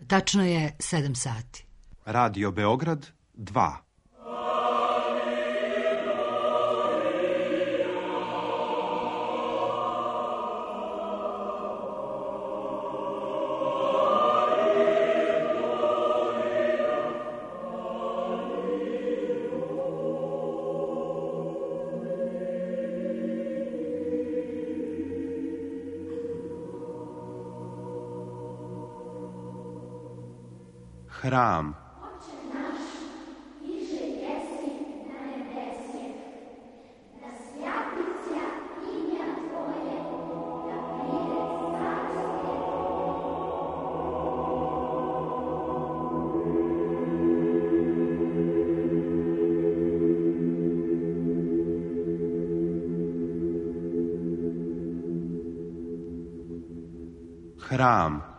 Tačno je 7 sati. Radio Beograd 2. Hram. Hram.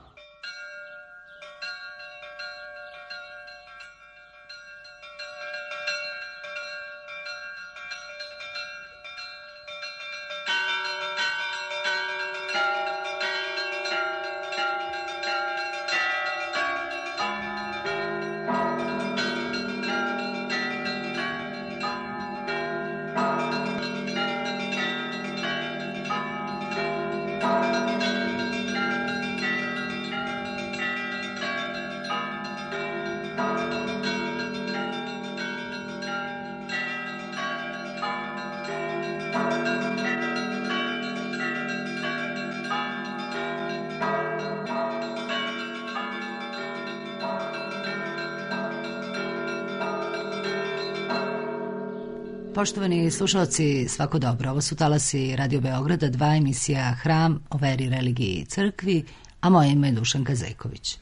Poštovani slušalci, svako dobro. Ovo su talasi Radio Beograda 2, emisija Hram o veri, religiji i crkvi, a moje ime je Dušanka Zejković.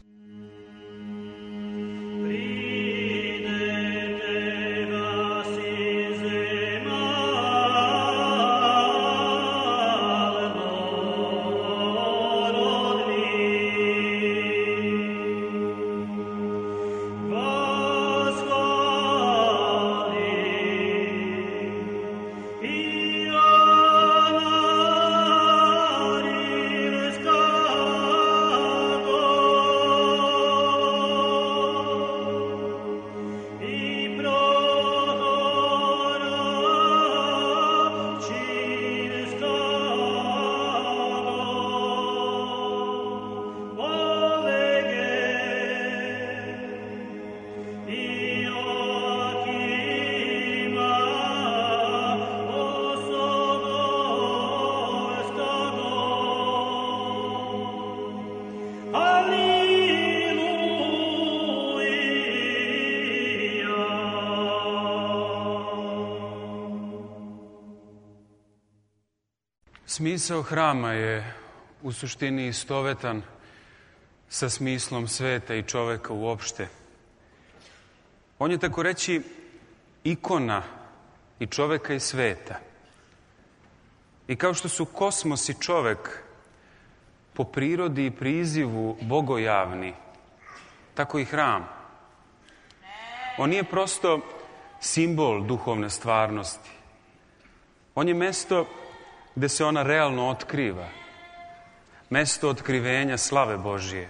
Smisao hrama je u suštini istovetan sa smislom sveta i čoveka uopšte. On je, tako reći, ikona i čoveka i sveta. I kao što su kosmos i čovek po prirodi i prizivu bogojavni, tako i hram. On nije prosto simbol duhovne stvarnosti. On je mesto gde se ona realno otkriva. Mesto otkrivenja slave Božije.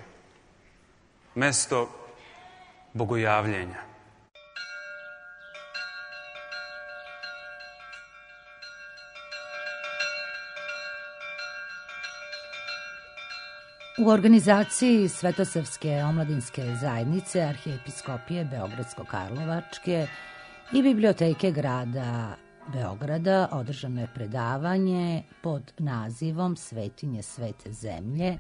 Mesto bogojavljenja. U organizaciji Svetosavske omladinske zajednice Arhijepiskopije Beogradsko-Karlovačke i Biblioteke grada Beograda održano je predavanje pod nazivom Svetinje svete zemlje,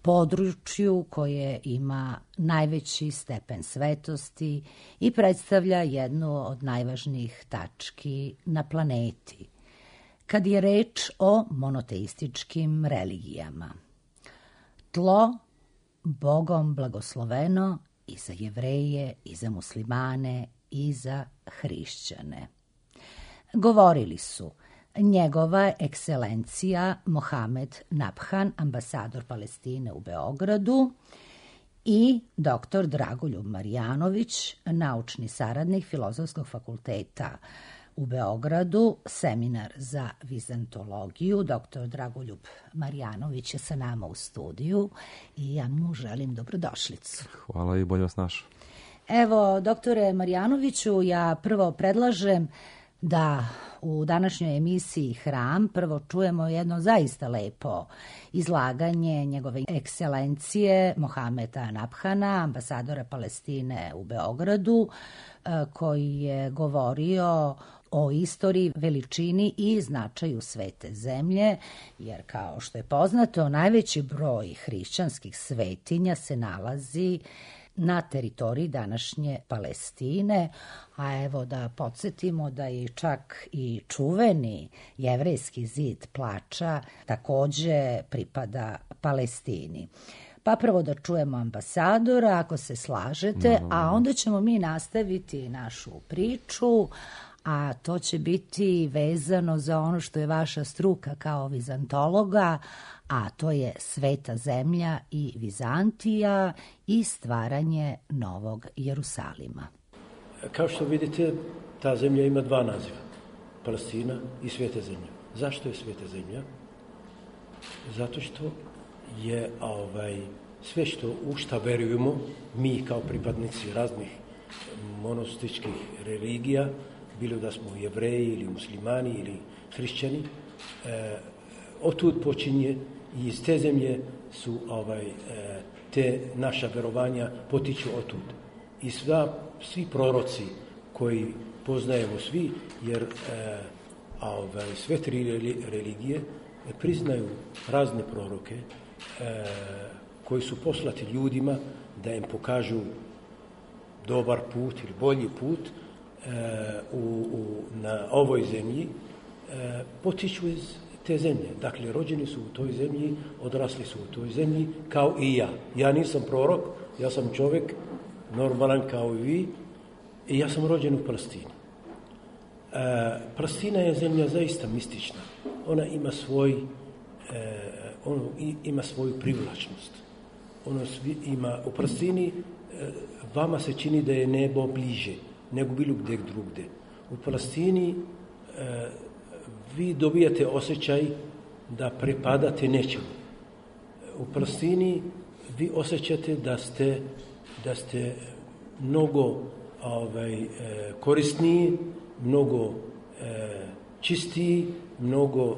području koje ima najveći stepen svetosti i predstavlja jednu od najvažnijih tački na planeti, kad je reč o monoteističkim religijama. Tlo Bogom blagosloveno i za Jevreje, i za muslimane, i za hrišćane. Govorili su njegova ekscelencija Mohamed Nabhan, ambasador Palestine u Beogradu, i dr. Dragoljub Marjanović, naučni saradnik Filozofskog fakulteta u Beogradu, seminar za vizantologiju. Dr. Dragoljub Marjanović je sa nama u studiju i ja mu želim dobrodošlicu. Hvala i bolje vas našao. Evo, doktore Marjanoviću, ja prvo predlažem da u današnjoj emisiji Hram prvo čujemo jedno zaista lepo izlaganje njegove ekscelencije Mohameda Nabhana, ambasadora Palestine u Beogradu, koji je govorio o istoriji, veličini i značaju svete zemlje, jer kao što je poznato, najveći broj hrišćanskih svetinja se nalazi na teritoriji današnje Palestine, a evo da podsjetimo da je čak i čuveni jevrejski zid plača takođe pripada Palestini. Pa prvo da čujemo ambasadora, ako se slažete, a onda ćemo mi nastaviti našu priču, a to će biti vezano za ono što je vaša struka kao vizantologa, a to je sveta zemlja i Vizantija i stvaranje Novog Jerusalima. Kao što vidite, ta zemlja ima dva naziva, Palestina i sveta zemlja. Zašto je sveta zemlja? Zato što je sve u šta verujemo, mi kao pripadnici raznih monoteističkih religija, bilo da smo Jevreji ili muslimani ili hrišćani, otud počinje i iz te zemlje su te naša verovanja potiču otud. I svi proroci koji poznajemo svi, jer sve tri religije priznaju razne proroke koji su poslati ljudima da im pokažu dobar put ili bolji put na ovoj zemlji, potiču iz te zemlje. Dakle, rođeni su u toj zemlji, odrasli su u toj zemlji, kao i ja. Ja nisam prorok, ja sam čovjek, normalan kao i vi, i ja sam rođen u Palestini. Palestina je zemlja zaista mistična. Ona ima svoju privlačnost. U Palestini vama se čini da je nebo bliže nego bilo gdje drugdje. U Palestini vi dobijate osjećaj da prepadate nečemu. U Palestini vi osjećate da ste mnogo korisniji, mnogo čistiji, mnogo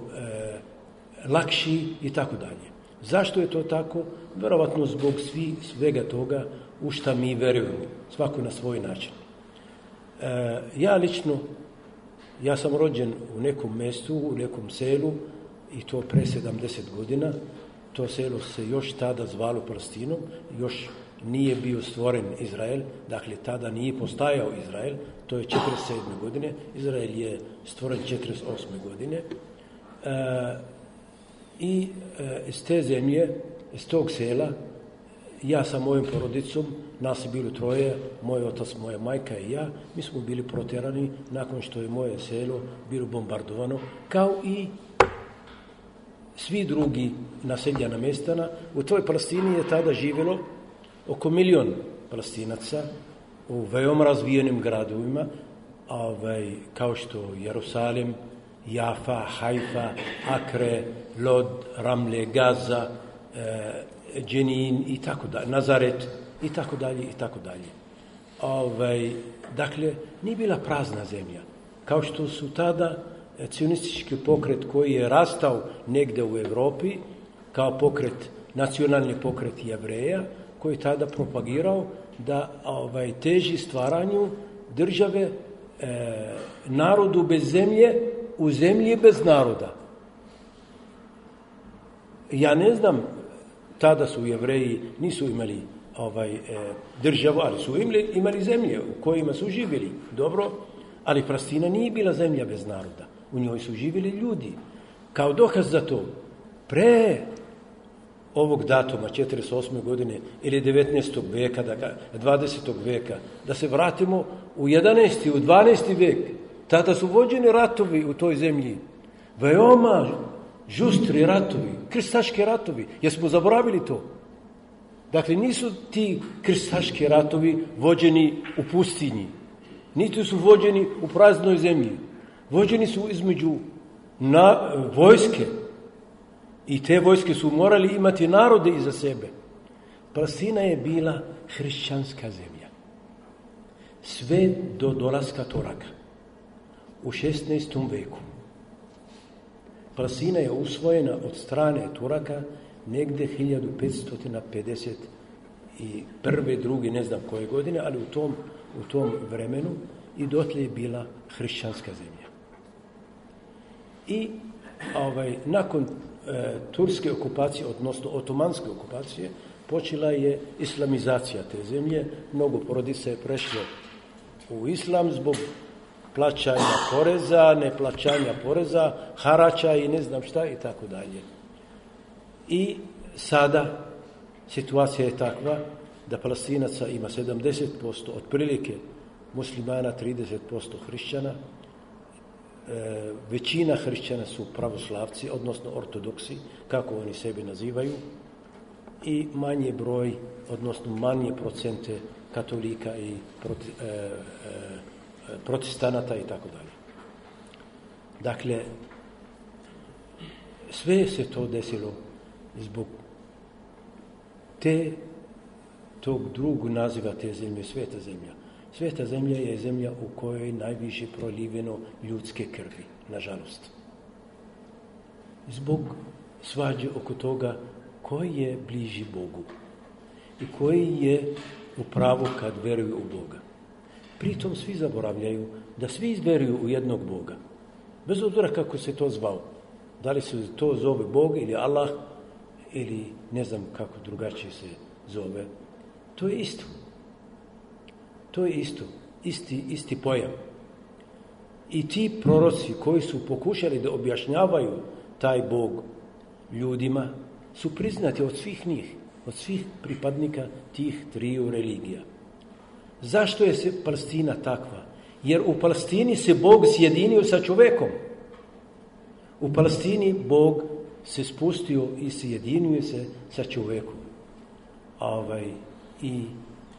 lakši i tako dalje. Zašto je to tako? Verovatno zbog svega toga u šta mi verujemo, svako na svoj način. Ja sam rođen u nekom mjestu, u nekom selu, i to pre 70 godina. To selo se još tada zvalo Palestinom, još nije bio stvoren Izrael, dakle tada nije postajao Izrael, to je 47. godine, Izrael je stvoren 48. godine. I iz te zemlje, iz tog sela, ja sa mojom porodicom, nas je bilo troje, moj otac, moja majka i ja, mi smo bili protjerani nakon što je moje selo bilo bombardovano, kao i svi drugi naseljena mjestana. U toj Palestini je tada živjelo oko 1 milion Palestinaca u veoma razvijenim gradovima, kao što Jerusalim, Jafa, Haifa, Akre, Lod, Ramle, Gaza, Dženin i tako dalje, Nazaret i tako dalje i tako dalje. Dakle, nije bila prazna zemlja. Kao što su tada cionistički pokret koji je rastao negdje u Europi, kao nacionalni pokret Jevreja, koji je tada propagirao da teži stvaranju države, narodu bez zemlje, u zemlji bez naroda. Ja ne znam, tada su Jevreji, nisu imali državu, ali su imali zemlje u kojima su živjeli. Dobro, ali Palestina nije bila zemlja bez naroda. U njoj su živjeli ljudi. Kao dokaz za to, pre ovog datuma, 48. godine ili 19. veka, 20. veka, da se vratimo u 11. u 12. vek, tada su vođeni ratovi u toj zemlji. Veoma žustri ratovi, krstaški ratovi. Jesmo zaboravili to? Dakle, nisu ti krstaški ratovi vođeni u pustinji. Niti su vođeni u praznoj zemlji. Vođeni su između vojske i te vojske su morali imati narode iza sebe. Palestina je bila hrišćanska zemlja. Sve do dolaska Turaka u 16. veku. Palestina je usvojena od strane Turaka negde 1551. druge, ne znam koje godine, ali u tom vremenu i dotle je bila hrišćanska zemlja. I nakon turske okupacije, odnosno otomanske okupacije, počela je islamizacija te zemlje. Mnogo porodica je prešlo u islam zbog plaćanja poreza, neplaćanja poreza, harača i ne znam šta i tako dalje. I sada situacija je takva da Palestinaca ima 70%, otprilike muslimana, 30% hrišćana. Većina hrišćana su pravoslavci, odnosno ortodoksi, kako oni sebi nazivaju, i manje broj, odnosno manje procente katolika i protestanata i tako dalje. Dakle, sve se to desilo zbog tog drugog naziva te zemlje, sveta zemlja. Sveta zemlja je zemlja u kojoj je najviše proliveno ljudske krvi, nažalost. Zbog svađe oko toga koji je bliži Bogu i koji je u pravu kad veruju u Boga. Pritom svi zaboravljaju da svi veruju u jednog Boga. Bez obzira kako se to zvao. Da li se to zove Bog ili Allah ili ne znam kako drugačije se zove. To je isto. To je isto. Isti pojam. I ti proroci koji su pokušali da objašnjavaju taj Bog ljudima su priznati od svih njih, od svih pripadnika tih triju religija. Zašto je se Palestina takva? Jer u Palestini se Bog sjedinio sa čovekom. U Palestini Bog se spustio i sjedinio se sa čovekom. I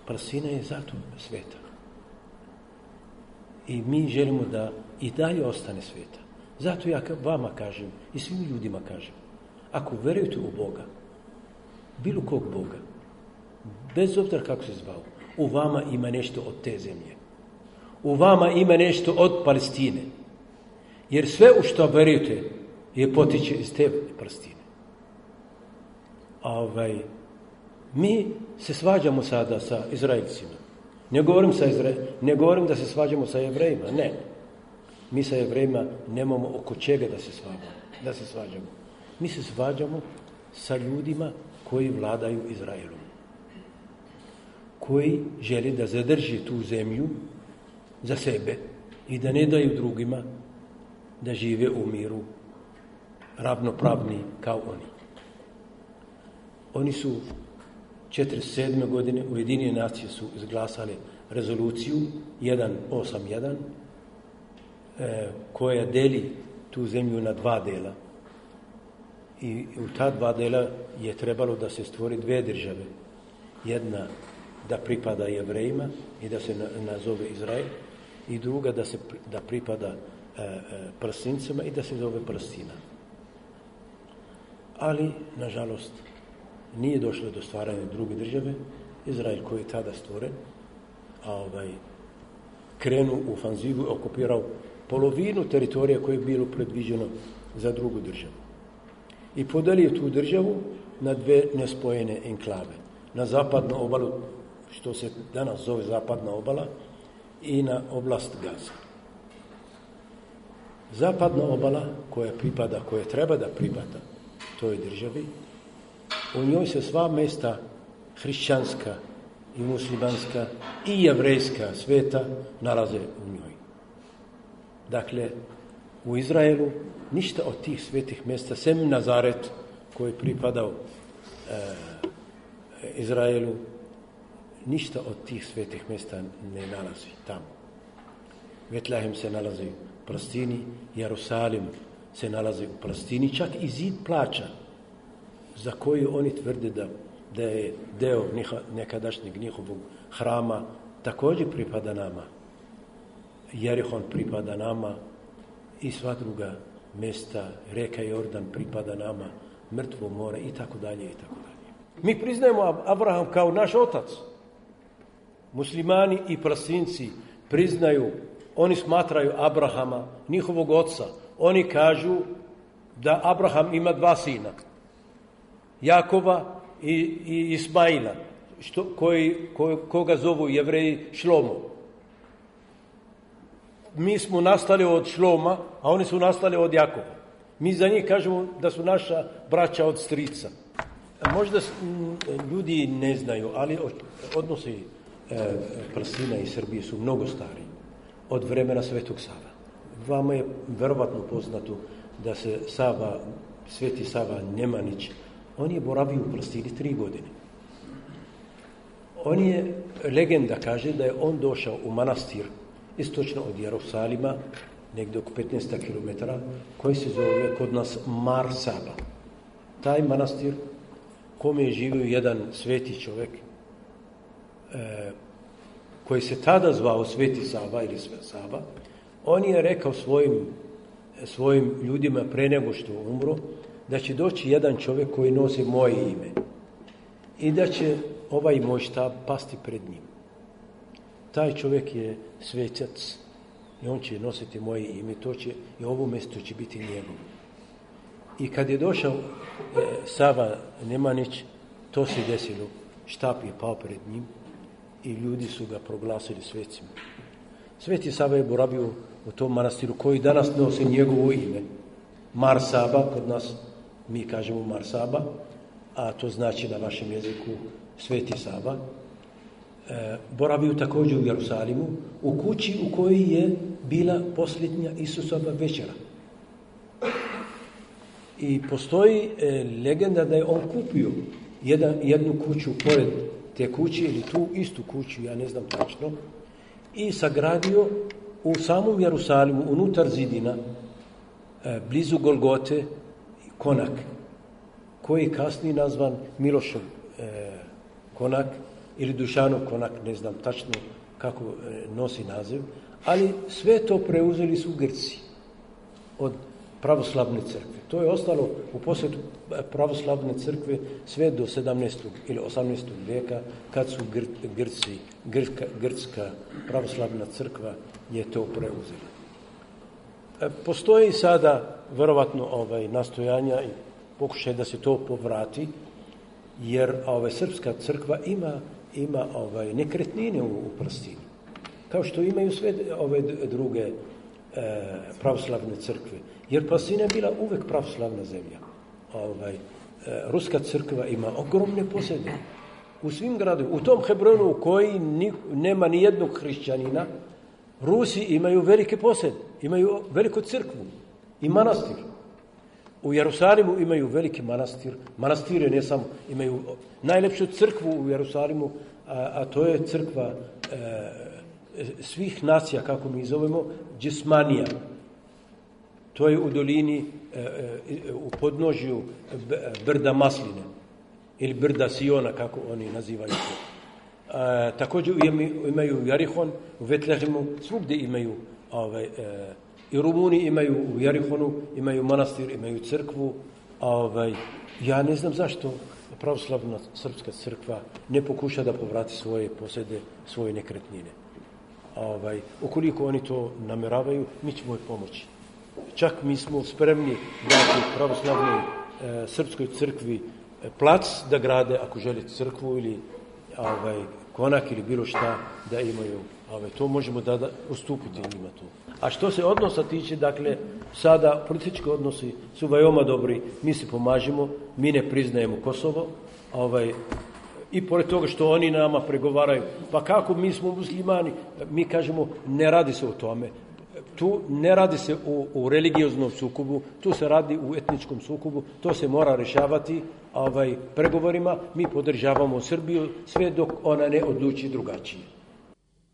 Palestina je zato sveta. I mi želimo da i dalje ostane sveta. Zato ja vama kažem i svim ljudima kažem, ako verujete u Boga, bilo kog Boga, bez obzira kako se zvao, u vama ima nešto od te zemlje. U vama ima nešto od Palestine. Jer sve u što verujete je potiče iz te Palestine. Mi se svađamo sada sa Izraelcima. Ne govorim da se svađamo sa Jevrejima, ne. Mi sa Jevrejima nemamo oko čega da se svađamo. Mi se svađamo sa ljudima koji vladaju Izraelom. Koji žele da zadrži tu zemlju za sebe i da ne daju drugima da žive u miru ravnopravni kao oni. Oni su 1947. godine Ujedinjene nacije su izglasali rezoluciju 181 koja deli tu zemlju na dva dela. I u ta dva dela je trebalo da se stvori dve države. Jedna da pripada Jevrejima i da se nazove Izrael, i druga da pripada Palestincima i da se zove Palestina. Ali, nažalost, nije došlo do stvaranja druge države. Izrael koji je tada stvoren, krenuo u ofanzivu, okupirao polovinu teritorija koje je bilo predviđeno za drugu državu. I podelio tu državu na dve nespojene enklave. Na zapadnu obalu, što se danas zove zapadna obala, i na oblast Gaza. Zapadna obala koja treba da pripada toj državi, u njoj se sva mesta hrišćanska i muslimanska i jevrejska sveta nalaze u njoj. Dakle, u Izraelu ništa od tih svetih mjesta, sem Nazaret koji pripadao Izraelu, ništa od tih svetih mjesta ne nalazi tamo. Betlehem se nalazi u Palestini, Jerusalim se nalazi u Palestini, čak i zid plaća za koju oni tvrde da je deo nekadašnjeg njihovog hrama, također pripada nama. Jerihon pripada nama, i sva druga mesta, reka Jordan pripada nama, mrtvo more i tako dalje i tako dalje. Mi priznajemo Abraham kao naš otac. Muslimani i Palestinci priznaju, oni smatraju Abrahama njihovog oca. Oni kažu da Abraham ima 2 sina, Jakova i Ismaila, koga zovu Jevreji Šlomo. Mi smo nastali od Šloma, a oni su nastali od Jakova. Mi za njih kažemo da su naša braća od strica. Možda ljudi ne znaju, ali odnosi Palestine i Srbije su mnogo stariji od vremena Svetog Sava. Vama je verovatno poznato da se Sveti Sava Nemanić, on je boravio u Palestini 3 godine. Legenda kaže da je on došao u manastir istočno od Jerusalima, negdje oko 15 km, koji se zove kod nas Mar Saba. Taj manastir, kome je živio jedan sveti čovjek, koji se tada zvao Sveti Sava ili Sava, on je rekao svojim ljudima pre nego što umro, da će doći jedan čovjek koji nosi moje ime i da će ovaj moj štab pasti pred njim. Taj čovjek je svetac i on će nositi moje ime, i ovo mjesto će biti njegovo. I kad je došao Sava Nemanić, to se desilo. Štab je pao pred njim i ljudi su ga proglasili svecima. Sveti Sava je boravio u tom manastiru koji danas nosi njegovo ime. Mar Saba, kod nas mi kažemo Mar Saba, a to znači na vašem jeziku Sveti Sava. Boravio također u Jerusalimu, u kući u kojoj je bila posljednja Isusova večera. I postoji legenda da je on kupio jednu kuću pored te kuće ili tu istu kuću, ja ne znam tačno, i sagradio u samom Jerusalimu, unutar zidina, blizu Golgote, konak, koji je kasnije nazvan Milošov konak ili Dušanov konak, ne znam tačno kako nosi naziv, ali sve to preuzeli su Grci od pravoslavne crkve. To je ostalo u posjetu pravoslavne crkve sve do 17. ili 18. vijeka, kad su Grčka pravoslavna crkva je to preuzela. Postoji sada verovatno nastojanja i pokušaj da se to povrati, jer srpska crkva ima nekretnine u Palestini, kao što imaju sve ove druge pravoslavne crkve. Jer Palestina je bila uvek pravoslavna zemlja. Ruska crkva ima ogromne posjede u svim gradovima. U tom Hebronu u koji nema ni jednog hrišćanina, Rusi imaju velike posjede, imaju veliku crkvu i manastir. U Jerusalimu imaju veliki manastir. Manastire ne samo, imaju najlepšu crkvu u Jerusalimu, a to je crkva svih nacija, kako mi zovemo, Džismanija. To je u dolini, u podnožju brda Masline ili brda Siona, kako oni nazivaju to. Također imaju Jarihon, u Vetlehemu, svugdje imaju, i Rumuni imaju u Jarihonu, imaju manastir, imaju crkvu. Ja ne znam zašto pravoslavna srpska crkva ne pokuša da povrati svoje posjede, svoje nekretnine. Ukoliko oni to nameravaju, mi ćemo pomoći. Čak mi smo spremni dati pravoslavnoj srpskoj crkvi plac da grade, ako žele crkvu ili konak ili bilo šta da imaju. To možemo da ustupiti njima to. A što se odnosa tiče, dakle, sada politički odnosi su veoma dobri, mi se pomažemo, mi ne priznajemo Kosovo, i pored toga što oni nama pregovaraju, pa kako mi smo muslimani, mi kažemo ne radi se o tome. Tu ne radi se u religioznom sukobu, tu se radi u etničkom sukobu, to se mora rješavati pregovorima. Mi podržavamo Srbiju sve dok ona ne odluči drugačije.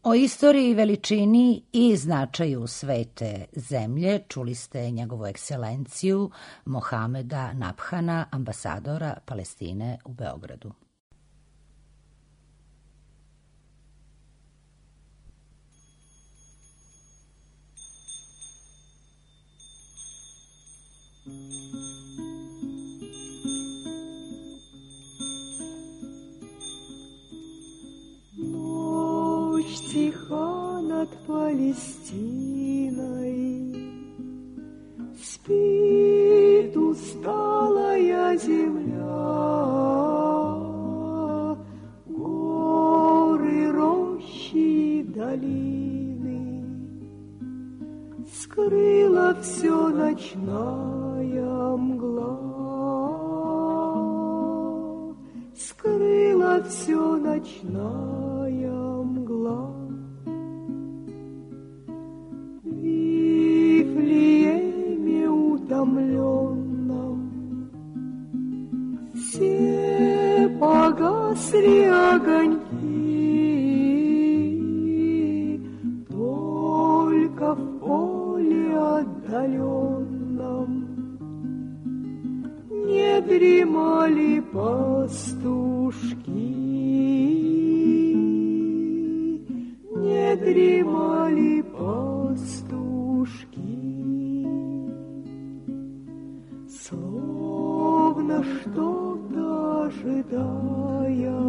O istoriji, veličini i značaju svete zemlje čuli ste njegovu ekscelenciju Mohameda Nabhana, ambasadora Palestine u Beogradu. Тиха над Палестиной, спит усталая земля, горы, рощи, долины, скрыла все ночная мгла, скрыла все ночная мгла. Утомленном все погасли огоньки, только в поле отдаленном не дремали пастушки, не дремали пастушки. Словно что-то ожидая,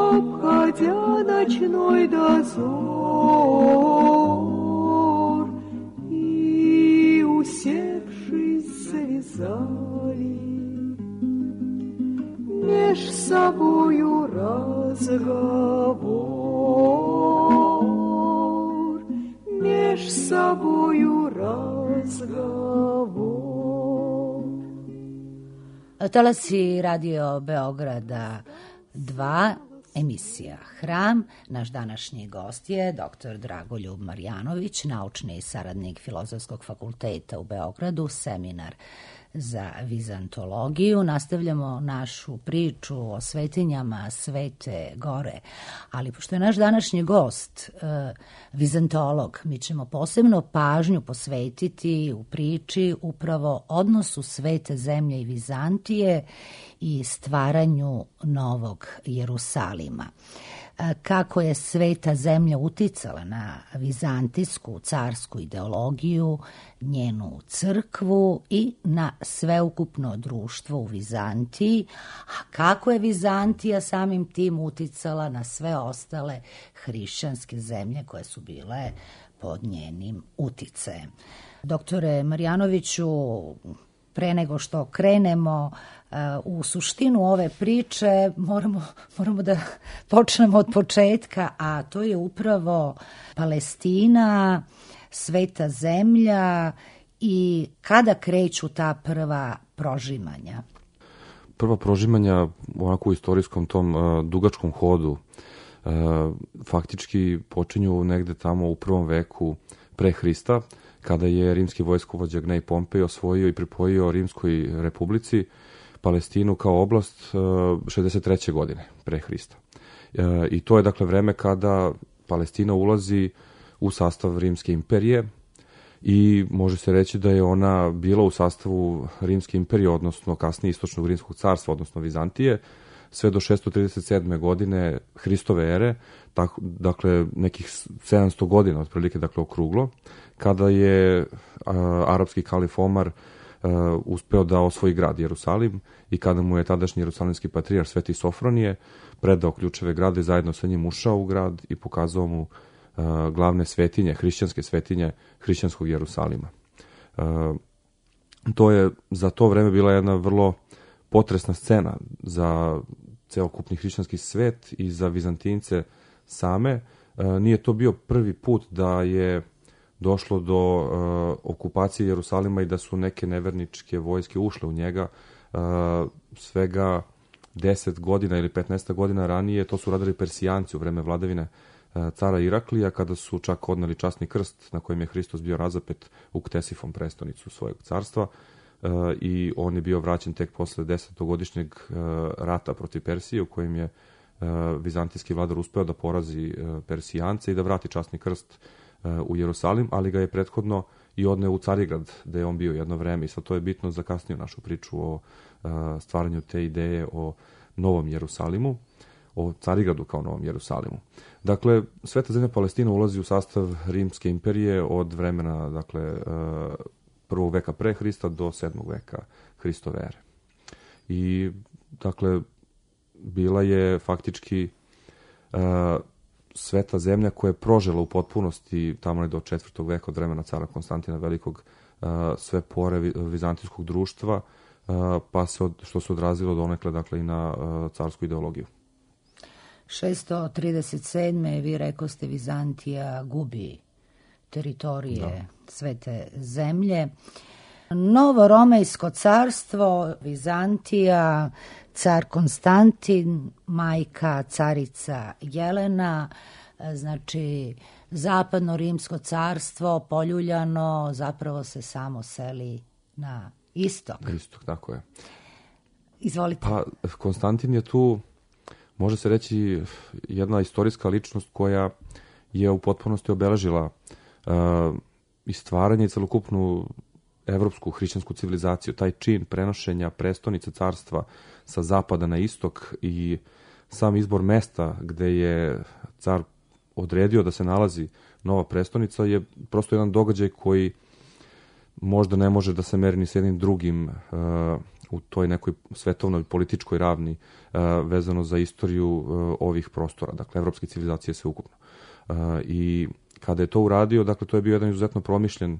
обходя ночной дозор, и, усевшись, завязали меж собою разговор, меж собою разговор. Talasi Radio Beograda 2, emisija Hram. Naš današnji gost je dr. Dragoljub Marjanović, naučni saradnik Filozofskog fakulteta u Beogradu, seminar za vizantologiju. Nastavljamo našu priču o svetinjama Svete Gore, ali pošto je naš današnji gost vizantolog, mi ćemo posebno pažnju posvetiti u priči upravo odnosu Svete zemlje i Vizantije i stvaranju Novog Jerusalima. Kako je Sveta zemlja uticala na vizantijsku carsku ideologiju, njenu crkvu i na sveukupno društvo u Vizantiji, a kako je Vizantija samim tim uticala na sve ostale hrišćanske zemlje koje su bile pod njenim uticajem. Doktore Marjanoviću, pre nego što krenemo u suštinu ove priče, moramo da počnemo od početka, a to je upravo Palestina, Sveta zemlja i kada kreću ta prva prožimanja? Prva prožimanja onako u istorijskom tom dugačkom hodu faktički počinju negde tamo u 1. veku pre Hrista, kada je rimski vojskovođa Gnej Pompej osvojio i pripojio Rimskoj republici Palestinu kao oblast 63. godine pre Hrista. I to je dakle vreme kada Palestina ulazi u sastav Rimske imperije i može se reći da je ona bila u sastavu Rimske imperije, odnosno kasnije Istočnog Rimskog carstva, odnosno Vizantije, sve do 637. godine Hristove ere, dakle nekih 700 godina otprilike, dakle okruglo, kada je arapski kalif Omar uspeo da osvoji grad Jerusalim i kada mu je tadašnji jerusalimski patrijarh Sveti Sofronije predao ključeve grada i zajedno sa njim ušao u grad i pokazao mu glavne svetinje, hrišćanske svetinje hrišćanskog Jerusalima. To je za to vreme bila jedna vrlo potresna scena za celokupni hrišćanski svet i za Vizantince same. Nije to bio prvi put da je došlo do okupacije Jerusalima i da su neke neverničke vojske ušle u njega. Svega 10 godina ili 15 godina ranije to su radili Persijanci u vreme vladavine cara Iraklija, kada su čak odneli časni krst na kojem je Hristos bio razapet u Ktesifon, prestonicu svojeg carstva, i on je bio vraćen tek posle 10-godišnjeg rata protiv Persije, u kojem je vizantijski vladar uspeo da porazi Persijance i da vrati časni krst u Jerusalim, ali ga je prethodno i odneo u Carigrad, da je on bio jedno vreme, i sad to je bitno za kasniju našu priču o stvaranju te ideje o Novom Jerusalimu. o Carigradu kao Novom Jerusalimu. Dakle, Sveta zemlja Palestina ulazi u sastav Rimske imperije od vremena, dakle, 1. veka pre Hrista do 7. veka Hristove ere. I, dakle, bila je faktički sveta zemlja koja je prožela u potpunosti tamo do 4. veka od vremena cara Konstantina Velikog sve pore vizantijskog društva, pa se što se odrazilo donekle, dakle, i na carsku ideologiju. 637. vi rekoste Vizantija gubi teritorije svete zemlje. Novo Romejsko carstvo, Vizantija, car Konstantin, majka carica Jelena, znači zapadno rimsko carstvo poljuljano zapravo se samo seli na istok. Istok, tako je. Izvolite. Pa, Konstantin je tu, može se reći, jedna istorijska ličnost koja je u potpunosti obeležila i stvaranje i celokupnu evropsku hrišćansku civilizaciju, taj čin prenošenja prestonice carstva sa zapada na istok i sam izbor mesta gde je car odredio da se nalazi nova prestonica je prosto jedan događaj koji možda ne može da se meri ni s jednim drugim u toj nekoj svetovnoj političkoj ravni vezano za istoriju ovih prostora, dakle evropske civilizacije sveukupno. I kada je to uradio, dakle to je bio jedan izuzetno promišljen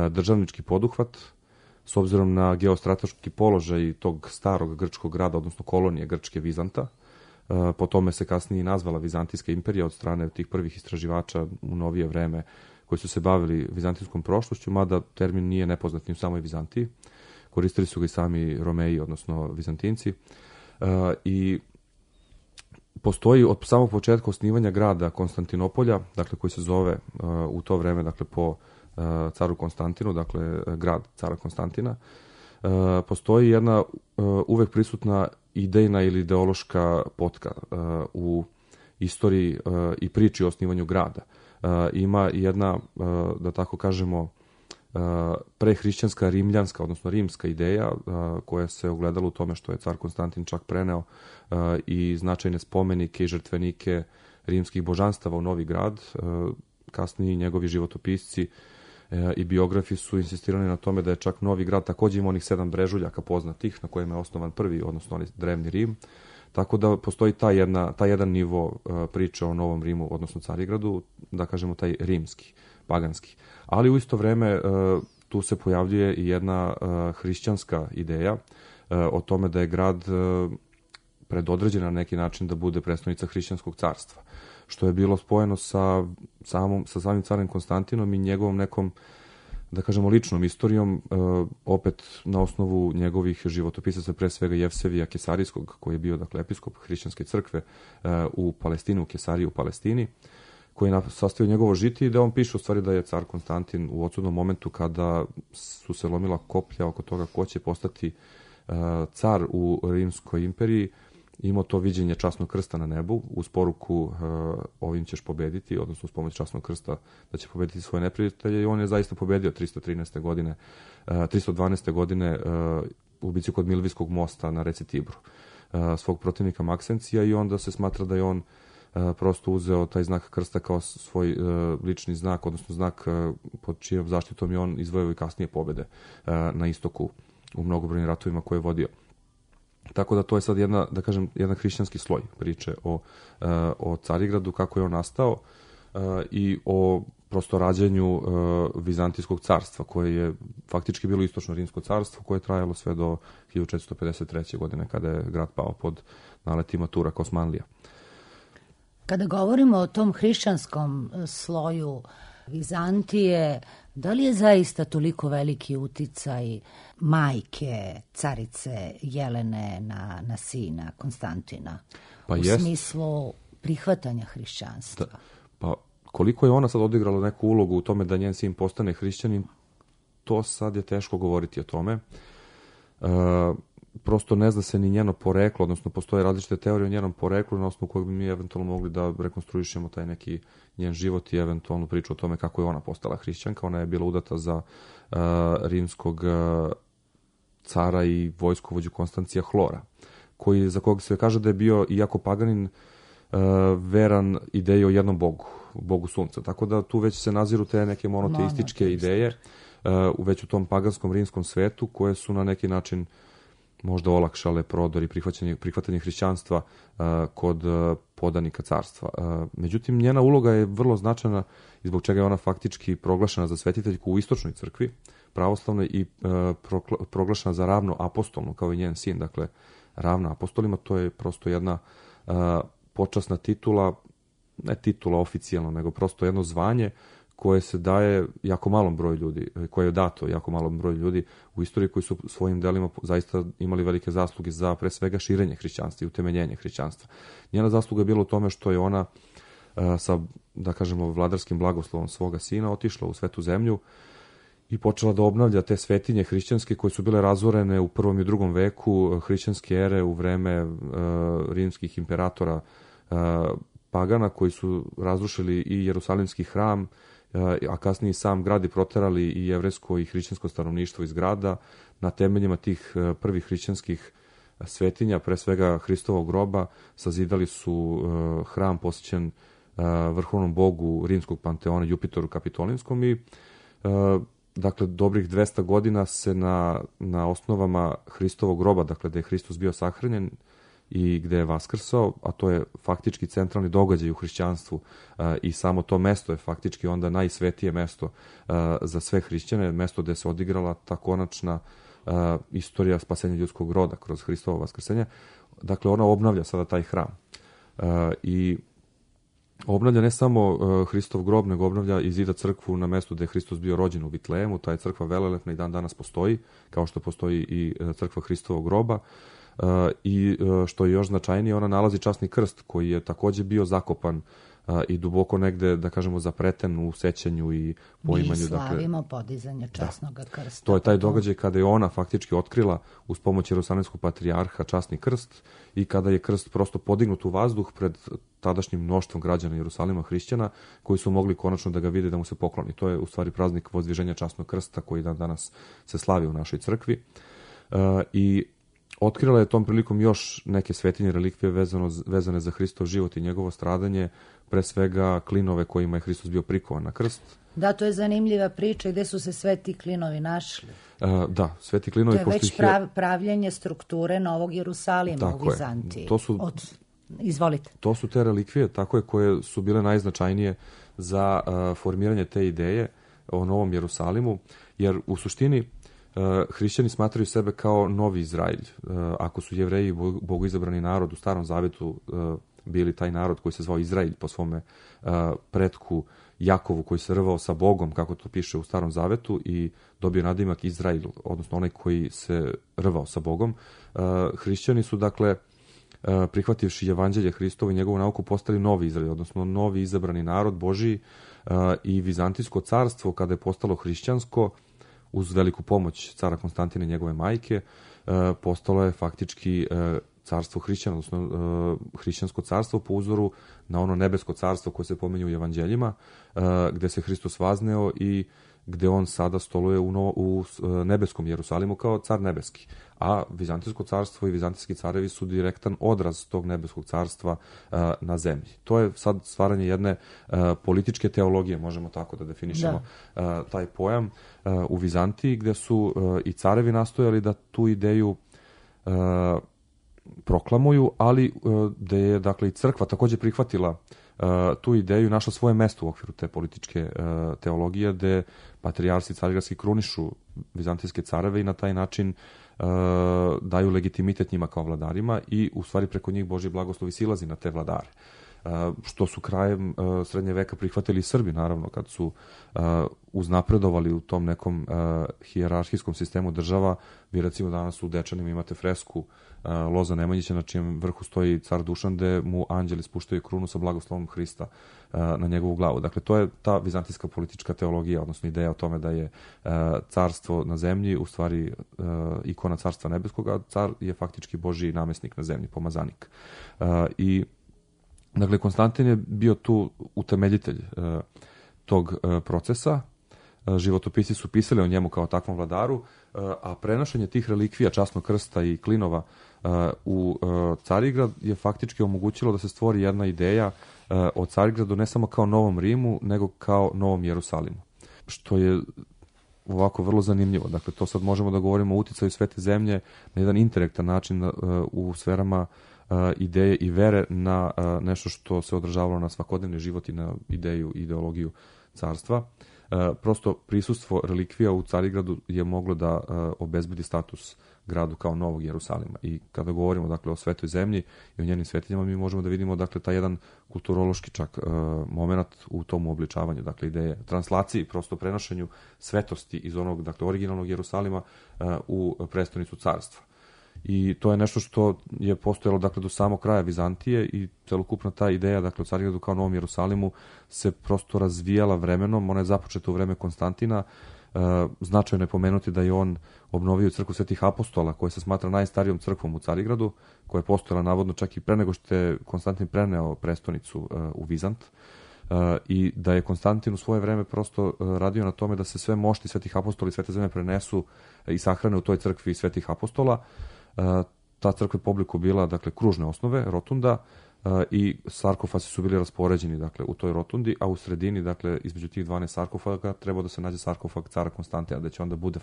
državnički poduhvat s obzirom na geostrateški položaj tog starog grčkog grada, odnosno kolonije grčke Vizanta. Po tome se kasnije i nazvala Vizantijska imperija od strane tih prvih istraživača u novije vreme koji su se bavili vizantijskom prošlošću, mada termin nije nepoznat ni u samoj Vizantiji. Koristili su ga i sami Romeji, odnosno Vizantinci. I postoji od samog početka osnivanja grada Konstantinopolja, dakle koji se zove u to vreme, dakle po caru Konstantinu, dakle grad cara Konstantina, postoji jedna uvek prisutna idejna ili ideološka potka u istoriji i priči o osnivanju grada. Ima jedna, da tako kažemo, prehrišćanska rimljanska, odnosno rimska ideja koja se ogledala u tome što je car Konstantin čak preneo i značajne spomenike i žrtvenike rimskih božanstava u novi grad. Kasniji njegovi životopisci i biografi su insistirali na tome da je čak novi grad takođe ima onih 7 brežuljaka poznatih na kojima je osnovan prvi, odnosno onaj drevni Rim. Tako da postoji taj jedan nivo priče o Novom Rimu, odnosno Carigradu, da kažemo taj rimski, paganski. Ali u isto vreme tu se pojavljuje i jedna hrišćanska ideja o tome da je grad predodređen na neki način da bude prestonica hrišćanskog carstva, što je bilo spojeno sa samim carem Konstantinom i njegovom nekom, da kažemo, ličnom istorijom, opet na osnovu njegovih životopisaca, pre svega Jevsevija Kesarijskog, koji je bio, dakle, episkop hrišćanske crkve u Palestini, u Kesariji u Palestini, koji je sastavio njegovo žitije, da on piše u stvari da je car Konstantin u odsudnom momentu kada su se lomila koplja oko toga ko će postati car u Rimskoj imperiji, imao to viđenje časnog krsta na nebu uz poruku ovim ćeš pobediti, odnosno uz pomoć časnog krsta da će pobediti svoje neprijatelje, i on je zaista pobedio 312. godine u bici kod Milvijskog mosta na reci Tibru svog protivnika Maksencija, i onda se smatra da je on prosto uzeo taj znak krsta kao svoj lični znak, odnosno znak pod čijom zaštitom je on izvojio i kasnije pobede na istoku u mnogobrojnim ratovima koje je vodio. Tako da to je sad jedan hrišćanski sloj priče o Carigradu, kako je on nastao i o prosto rađanju Vizantijskog carstva, koje je faktički bilo istočno rimsko carstvo, koje je trajalo sve do 1453. godine, kada je grad pao pod naletima Turaka Osmanlija. Kada govorimo o tom hrišćanskom sloju Vizantije, da li je zaista toliko veliki uticaj majke carice Jelene na sina Konstantina? Pa u smislu prihvatanja hrišćanstva? Pa koliko je ona sad odigrala neku ulogu u tome da njen sin postane hrišćanin, to sad je teško govoriti o tome. Prosto ne zna se ni njeno poreklo, odnosno postoje različite teorije o njenom poreklu na osnovu kojeg bi mi eventualno mogli da rekonstruišemo taj neki njen život i eventualnu priču o tome kako je ona postala hrišćanka. Ona je bila udata za rimskog cara i vojskovođu Konstancija Hlora, za kog se kaže da je bio, iako paganin, veran ideji o jednom bogu sunca. Tako da tu već se naziru te neke monoteističke ideje već u tom paganskom rimskom svetu, koje su na neki način možda olakšale prodor i prihvatanje hrišćanstva kod podanika carstva. Međutim, njena uloga je vrlo značajna i zbog čega je ona faktički proglašena za svetiteljku u istočnoj crkvi, pravoslavnoj, i proglašena za ravno apostolnu, kao i njen sin. Dakle, ravna apostolima, to je prosto jedna počasna titula, ne titula oficijalno, nego prosto jedno zvanje koje se daje jako malom broju ljudi, koje je dato jako malom broju ljudi u istoriji, koji su svojim delima zaista imali velike zasluge za pre svega širenje hrišćanstva i utemeljenje hrišćanstva. Njena zasluga je bila u tome što je ona sa, da kažemo, vladarskim blagoslovom svoga sina otišla u svetu zemlju i počela da obnavlja te svetinje hrišćanske koje su bile razorene u 1. i 2. veku hrišćanske ere u vreme rimskih imperatora pagana, koji su razrušili i Jerusalimski hram, a kasnije sam grad i proterali i jevrejsko i hrišćansko stanovništvo iz grada. Na temeljima tih prvih hrišćanskih svetinja, pre svega Hristovog groba, sazidali su hram posvećen vrhovnom bogu rimskog panteona Jupiteru Kapitolinskom i dakle, dobrih 200 godina se na osnovama Hristovog groba, dakle, gde je Hristos bio sahranjen i gde je vaskrsao, a to je faktički centralni događaj u hrišćanstvu i samo to mesto je faktički onda najsvetije mesto za sve hrišćane, mesto gde se odigrala ta konačna istorija spasenja ljudskog roda kroz Hristovo vaskrsenje. Dakle, ona obnavlja sada taj hram. I obnavlja ne samo Hristov grob, nego obnavlja i zida crkvu na mestu gde je Hristos bio rođen u Vitlejemu. Ta je crkva velelepna i dan danas postoji, kao što postoji i crkva Hristovog groba. I što je još značajnije, ona nalazi časni krst koji je takođe bio zakopan i duboko negde, da kažemo, zapreten u sećanju i poimanju. Mi slavimo podizanje časnog krsta. To je taj događaj kada je ona faktički otkrila uz pomoć Jerusalimskog patrijarha časni krst i kada je krst prosto podignut u vazduh pred tadašnjim mnoštvom građana Jerusalima, hrišćana, koji su mogli konačno da ga vide, da mu se pokloni. To je u stvari praznik vozdviženja časnog krsta koji dan danas se slavi u našoj crkvi. I otkrila je tom prilikom još neke svetinje relikvije vezane za Hristov život i njegovo stradanje, pre svega klinove kojima je Hristos bio prikovan na krst. Da, to je zanimljiva priča, gde su se sve ti klinovi našli. Da, sve ti klinovi... To je već pravljenje strukture Novog Jerusalima u Vizantiji. Izvolite. To su te relikvije, tako je, koje su bile najznačajnije za formiranje te ideje o Novom Jerusalimu, jer u suštini hrišćani smatraju sebe kao novi Izraelj. Ako su Jevreji bogoizabrani narod u Starom Zavetu bili taj narod koji se zvao Izraelj po svome pretku Jakovu, koji se rvao sa Bogom, kako to piše u Starom Zavetu, i dobio nadimak Izrael, odnosno onaj koji se rvao sa Bogom. Hrišćani su, dakle, prihvativši evanđelje Hristovo i njegovu nauku, postali novi Izrael, odnosno novi izabrani narod Božiji, i Vizantijsko carstvo, kada je postalo hrišćansko, uz veliku pomoć cara Konstantina i njegove majke, postalo je faktički carstvo hrišćana, odnosno hrišćansko carstvo po uzoru na ono nebesko carstvo koje se pominje u evanđeljima, gde se Hristos vazneo i gde on sada stoluje u nebeskom Jerusalimu kao car nebeski. A Vizantijsko carstvo i vizantijski carevi su direktan odraz tog nebeskog carstva na zemlji. To je sad stvaranje jedne političke teologije, možemo tako da definišemo taj pojam u Vizantiji, gde su i carevi nastojali da tu ideju proklamuju, ali da je, dakle, i crkva takođe prihvatila tu ideju i našla svoje mesto u okviru te političke teologije, gde patrijarsi carigradski krunišu vizantijske careve i na taj način daju legitimitet njima kao vladarima i u stvari preko njih Božji blagoslov silazi na te vladare. Što su krajem srednje veka prihvatili i Srbi, naravno, kad su uznapredovali u tom nekom hijerarhijskom sistemu država. Vi recimo danas u Dečanima imate fresku Loza Nemanjića na čijem vrhu stoji car Dušan, gde mu anđeli spuštaju krunu sa blagoslovom Hrista na njegovu glavu. Dakle, to je ta vizantijska politička teologija, odnosno ideja o tome da je carstvo na zemlji u stvari ikona carstva nebeskog, a car je faktički Božji namesnik na zemlji, pomazanik. I dakle, Konstantin je bio tu utemeljitelj tog procesa životopisci su pisali o njemu kao takvom vladaru, a prenošenje tih relikvija, časnog krsta i klinova u Carigrad je faktički omogućilo da se stvori jedna ideja o Carigradu ne samo kao Novom Rimu, nego kao Novom Jerusalimu. Što je ovako vrlo zanimljivo. Dakle, to sad možemo da govorimo o uticaju Svete zemlje na jedan indirektan način u sferama ideje i vere na nešto što se odražavalo na svakodnevni život i na ideju i ideologiju carstva. Prosto prisustvo relikvija u Carigradu je moglo da obezbedi status gradu kao Novog Jerusalima. I kada govorimo dakle o Svetoj zemlji i o njenim svetinjama, mi možemo da vidimo dakle taj jedan kulturološki čak moment u tom uobličavanju, dakle ideje translaciji, prosto prenošenju svetosti iz onog dakle originalnog Jerusalima u prestonicu carstva. I to je nešto što je postojalo dakle do samog kraja Vizantije i celokupna ta ideja dakle o Carigradu kao Novom Jerusalimu se prosto razvijala vremenom. Ona je započeta u vreme Konstantina. Značajno je pomenuti da je on obnovio crkvu Svetih apostola, koja se smatra najstarijom crkvom u Carigradu, koja je postojala navodno čak i pre nego što je Konstantin preneo prestonicu u Vizant, i da je Konstantin u svoje vreme prosto radio na tome da se sve mošti Svetih apostola i Svete zemlje prenesu i sahrane u toj crkvi Svetih apostola. Ta crkva je po obliku bila dakle kružne osnove, rotunda, i sarkofasi su bili raspoređeni dakle u toj rotundi, a u sredini dakle između tih 12 sarkofaga trebao da se nađe sarkofag cara Konstantina, da će onda bude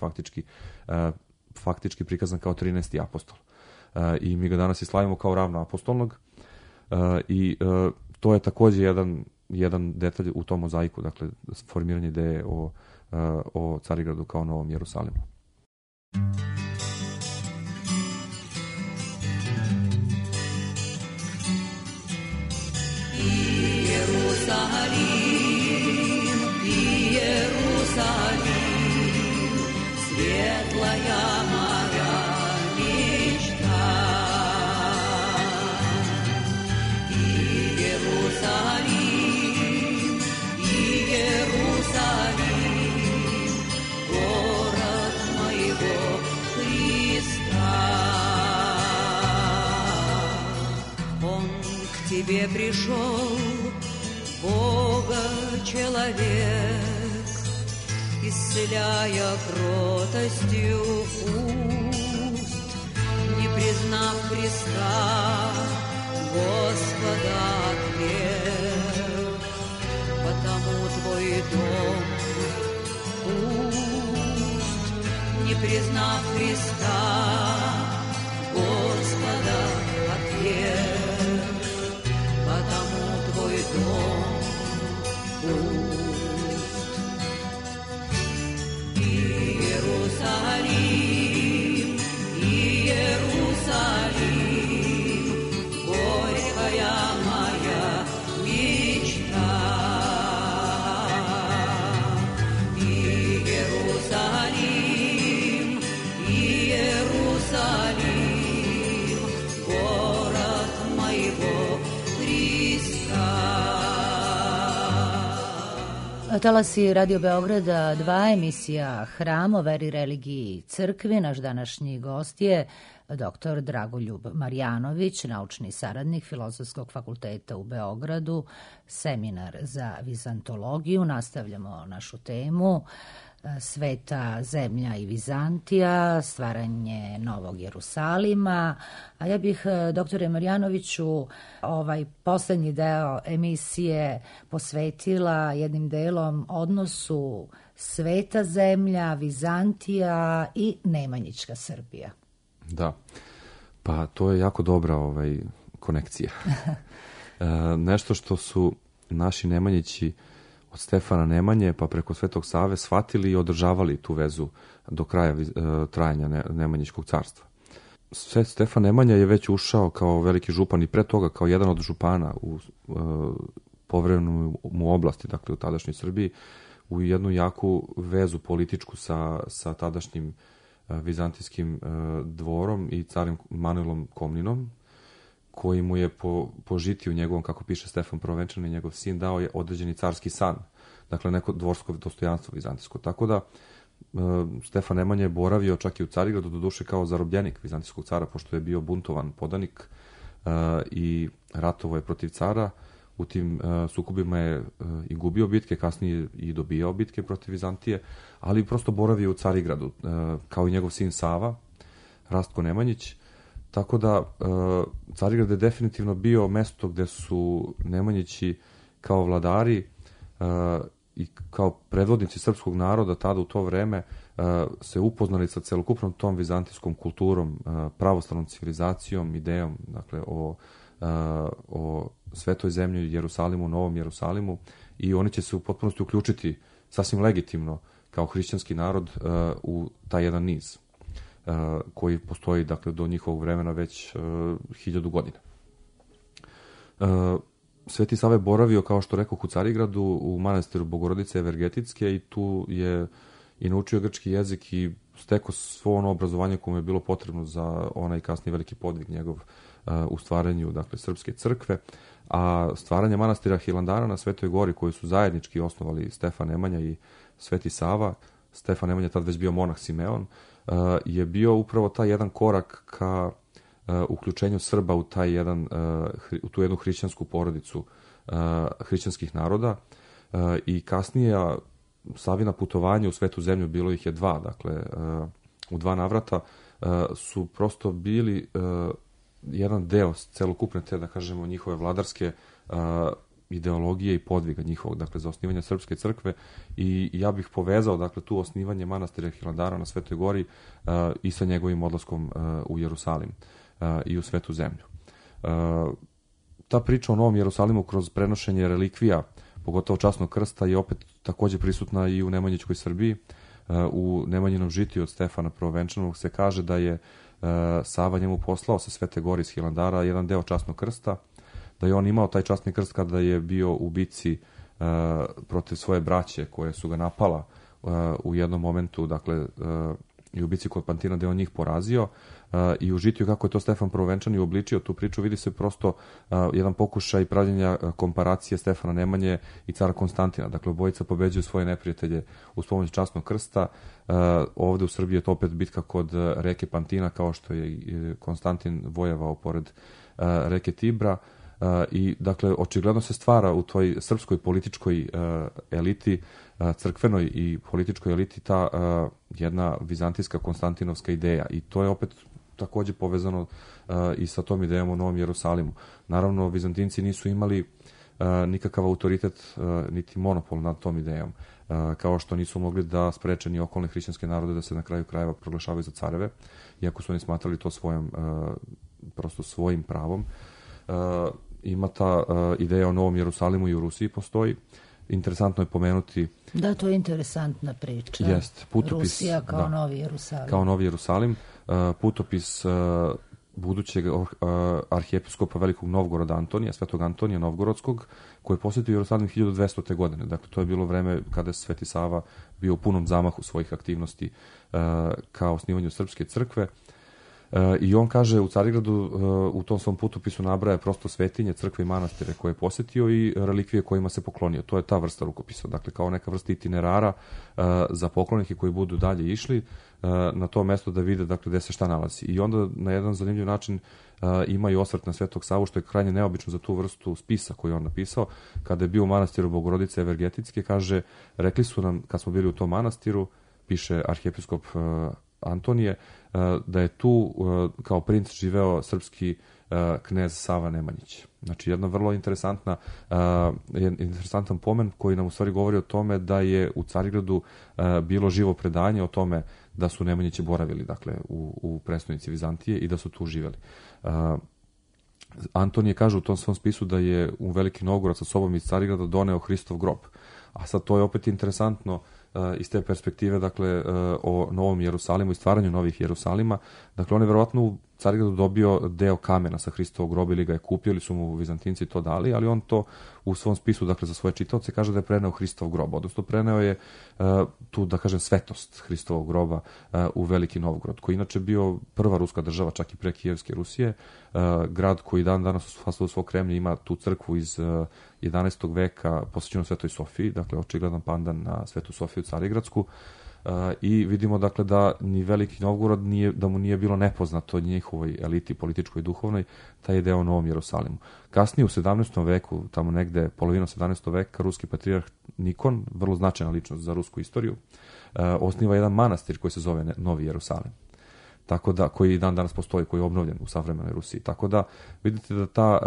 faktički prikazan kao 13. apostol. I mi ga danas i slavimo kao ravnoapostolnog, i to je takođe jedan detalj u tom mozaiku, dakle formiranje ideje o Carigradu kao Novom Jerusalimu. Иерусалим, светлая моя мечта. Иерусалим, Иерусалим, город моего Христа. Он к тебе пришел, Бога-человек, исцеляя кротостью уст, не признав Христа, Господа отверг, потому твой дом пуст, не признав Христа, Господа отверг, потому твой дом пуст. Иерусалим, Иерусалим, горькая моя мечта. Иерусалим, Иерусалим, город моего Христа. Talasi Radio Beograda 2, emisija Hram o veri, religiji i crkvi. Naš današnji gost je dr. Dragoljub Marjanović, naučni saradnik Filozofskog fakulteta u Beogradu, seminar za vizantologiju. Nastavljamo našu temu Sveta zemlja i Vizantija, stvaranje Novog Jerusalima. A ja bih, doktore Marjanoviću, ovaj poslednji deo emisije posvetila jednim delom odnosu Sveta zemlja, Vizantija i Nemanjićka Srbija. Da, pa to je jako dobra konekcija. Nešto što su naši Nemanjići od Stefana Nemanje pa preko Svetog Save shvatili i održavali tu vezu do kraja trajanja Nemanjićkog carstva. Stefan Nemanja je već ušao kao veliki župan i pre toga kao jedan od župana u povremenoj mu oblasti, dakle u tadašnjoj Srbiji, u jednu jaku vezu političku sa tadašnjim vizantijskim dvorom i carim Manuelom Komninom, koji mu je po žitiju njegovom, kako piše Stefan Prvenčani, njegov sin, dao je određeni carski san, dakle neko dvorsko dostojanstvo vizantijsko. Tako da Stefan Nemanja je boravio čak i u Carigradu, doduše kao zarobljenik vizantijskog cara, pošto je bio buntovan podanik i ratovao je protiv cara. u tim sukobima je i gubio bitke, kasnije i dobijao bitke protiv Vizantije, ali prosto boravio u Carigradu, kao i njegov sin Sava, Rastko Nemanjić. Tako da Carigrad je definitivno bio mesto gde su Nemanjići kao vladari i kao predvodnici srpskog naroda tada u to vreme se upoznali sa celokupnom tom vizantijskom kulturom, pravoslavnom civilizacijom, idejom, dakle o svetoj zemlji, Jerusalimu, Novom Jerusalimu, i oni će se u potpunosti uključiti sasvim legitimno kao hrišćanski narod u taj jedan niz koji postoji, dakle, do njihovog vremena već 1000 godina. Sveti Sava je boravio, kao što rekao, u Carigradu, u manastiru Bogorodice Evergetitske, i tu je i naučio grčki jezik i stekao svo ono obrazovanje koje mu je bilo potrebno za onaj kasniji veliki podvig njegov u stvaranju, dakle, srpske crkve. A stvaranje manastira Hilandara na Svetoj gori, koji su zajednički osnovali Stefan Nemanja i Sveti Sava, Stefan Nemanja je tad već bio monah Simeon, je bio upravo taj jedan korak ka uključenju Srba u taj jedan, u tu jednu hrišćansku porodicu hrišćanskih naroda, i kasnije Savina putovanja u Svetu zemlju, bilo ih je 2, dakle u 2 navrata, su prosto bili jedan deo celokupne te, da kažemo, njihove vladarske ideologije i podviga njihovog, dakle, za osnivanje srpske crkve, i ja bih povezao, dakle, tu osnivanje manastira Hilandara na Svetoj gori i sa njegovim odlaskom u Jerusalim i u Svetu zemlju. Ta priča o Novom Jerusalimu kroz prenošenje relikvija, pogotovo časnog krsta, je opet takođe prisutna i u Nemanjićkoj Srbiji. U Nemanjinom žitiju od Stefana Prvovenčanog se kaže da je Sava njemu poslao sa Svete gore iz Hilandara jedan deo časnog krsta, da je on imao taj časni krst kada je bio u bici protiv svoje braće koje su ga napala u jednom momentu, dakle, i u bici kod Pantina, gde on njih porazio, i u žitiju kako je to Stefan Prvovenčani uobličio tu priču, vidi se prosto jedan pokušaj pravljenja komparacije Stefana Nemanje i cara Konstantina. Dakle, obojica pobeđuju svoje neprijatelje uz pomoć časnog krsta. Ovde u Srbiji je to opet bitka kod reke Pantina, kao što je Konstantin vojevao pored reke Tibra. I, dakle, očigledno se stvara u toj srpskoj političkoj eliti, crkvenoj i političkoj eliti, ta jedna vizantijska konstantinovska ideja, i to je opet takođe povezano i sa tom idejom o Novom Jerusalimu. Naravno, Vizantinci nisu imali nikakav autoritet niti monopol nad tom idejom, kao što nisu mogli da spreče ni okolne hrišćanske narode da se na kraju krajeva proglašavaju za careve, iako su oni smatrali to prosto svojim pravom. Ima ta ideja o Novom Jerusalimu i u Rusiji postoji. Interesantno je pomenuti... Da, to je interesantna priča. Jest, putopis... Rusija kao Novi Jerusalim. Kao Novi Jerusalim. Putopis budućeg arhijepiskopa Velikog Novgoroda Antonija, Svetog Antonija Novgorodskog, koji je posjetio Jerusalim 1200. godine. Dakle, to je bilo vreme kada je Sveti Sava bio u punom zamahu svojih aktivnosti kao osnivanju srpske crkve. I on kaže u Carigradu, u tom svom putopisu nabraja prosto svetinje, crkve i manastire koje je posjetio i relikvije kojima se poklonio. To je ta vrsta rukopisa, dakle, kao neka vrsta itinerara za poklonike koji budu dalje išli na to mesto da vide, dakle, gde se šta nalazi. I onda na jedan zanimljiv način ima i osvrt na Svetog Savu, što je krajnje neobično za tu vrstu spisa koju je on napisao. Kada je bio u manastiru Bogorodice Evergetitske, kaže, rekli su nam kad smo bili u tom manastiru, piše arhijepiskop Antonije, da je tu kao princ živeo srpski knez Sava Nemanjić. Znači, jedna vrlo interesantan pomen koji nam u stvari govori o tome da je u Carigradu bilo živo predanje o tome da su Nemanjići boravili, dakle, u prestonici Vizantije i da su tu živeli. Antonije kaže u tom svom spisu da je u Veliki Novgorod sa sobom iz Carigrada doneo Hristov grob. A sad to je opet interesantno iz te perspektive, dakle, o Novom Jerusalimu i stvaranju novih Jerusalima. Dakle, on je verovatno u Carigradu dobio deo kamena sa Hristovog groba ili ga je kupio ili su mu Vizantinci to dali, ali on to u svom spisu, dakle, za svoje čitaoce kaže da je preneo Hristov grob, odnosno preneo je tu, da kažem, svetost Hristovog groba u Veliki Novgorod, koji inače bio prva ruska država, čak i pre Kijevske Rusije, grad koji dan danas u fasaду svog Kremlja ima tu crkvu iz 11. veka posvećenu Svetoj Sofiji, dakle, očigledan pandan na Svetu Sofiju Carigradsku. I vidimo dakle da ni Veliki Novgorod da mu nije bilo nepoznato njihovoj eliti političkoj i duhovnoj taj ideja o Novom Jerusalimu. Kasnije u 17. veku, tamo negde polovina 17. veka, ruski patrijarh Nikon, vrlo značajna ličnost za rusku istoriju, osniva jedan manastir koji se zove Novi Jerusalim. Tako da, koji dan danas postoji, koji je obnovljen u savremenoj Rusiji. Tako da vidite da ta